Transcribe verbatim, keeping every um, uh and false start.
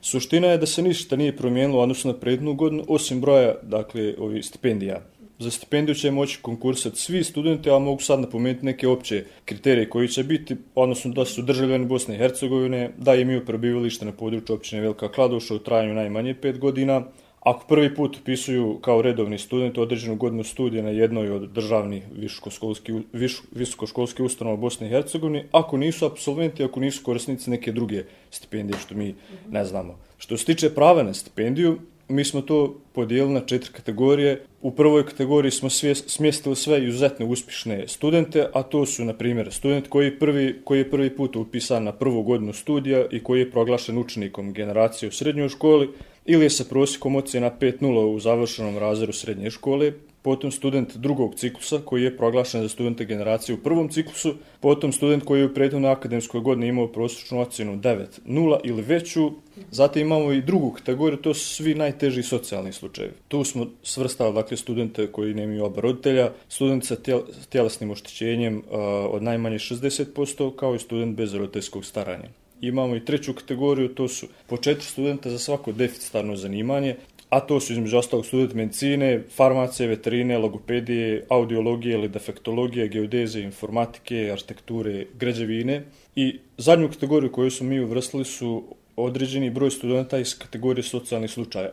Suština je da se ništa nije promijenilo odnosno na prethodnu godinu, osim broja, dakle, ovih stipendija. Za stipendiju će moći konkursati svi studenti, ali mogu sad napomenuti neke opće kriterije koji će biti, odnosno da su državljani Bosne i Hercegovine, da imaju prebivalište na području općine Velika Kladuša u trajanju najmanje pet godina, ako prvi put upisuju kao redovni student određenu godinu studija na jednoj od državnih visokoškolskih visokoškolskih ustanova Bosne i Hercegovine, ako nisu apsolventi, ako nisu korisnici neke druge stipendije, što mi ne znamo. Što se tiče prava na stipendiju, mi smo to podijelili na četiri kategorije. U prvoj kategoriji smo smjestili sve izuzetno uspješne studente, a to su, na primjer, student koji, prvi, koji je prvi put upisan na prvu godinu studija i koji je proglašen učenikom generacije u srednjoj školi, ili je sa prosjekom ocjena pet nula u završenom razredu srednje škole, potom student drugog ciklusa koji je proglašen za studenta generacije u prvom ciklusu, potom student koji je u prethodnoj akademskoj godini imao prosječnu ocjenu devet nula ili veću, zatim imamo i drugu kategoriju, to su svi najteži socijalni slučajevi. Tu smo svrstali, dakle, studente koji nemaju oba roditelja, student sa tjelesnim oštećenjem uh, od najmanje šezdeset posto, kao i student bez roditeljskog staranja. Imamo i treću kategoriju, to su po četiri studenta za svako deficitarno zanimanje, a to su između ostalog student medicine, farmacije, veterine, logopedije, audiologije ili defektologije, geodezije, informatike, arhitekture, građevine. I zadnju kategoriju koju smo mi uvrstili su određeni broj studenta iz kategorije socijalnih slučaja.